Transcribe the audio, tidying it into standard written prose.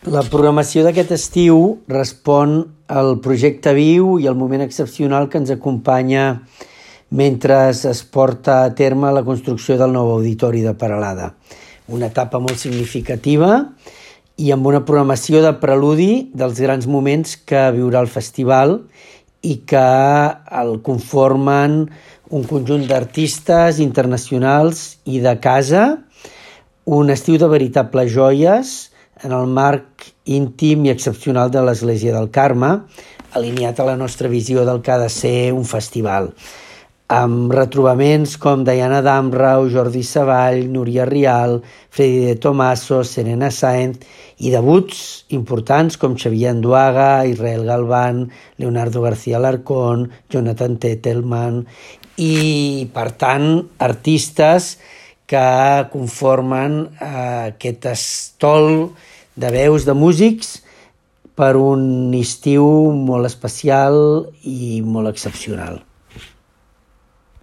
La programació d'aquest estiu respon al projecte viu i al moment excepcional que ens acompanya mentre es porta a terme la construcció del nou auditori de Peralada. Una etapa molt significativa i amb una programació de preludi dels grans moments que viurà el festival i que el conformen un conjunt d'artistes internacionals i de casa, un estiu de veritables joies en el marc íntim i excepcional de l'Església del Carme, alineat a la nostra visió del que ha de ser un festival, amb retrobaments com Diana Damrau, Jordi Savall, Núria Rial, Freddy de Tomaso, Serena Sáenz i debuts importants com Xavier Anduaga, Israel Galván, Leonardo García Alarcón, Jonathan Tettelman i, per tant, artistes que conformen aquest estol de veus de músics per un estiu molt especial i molt excepcional.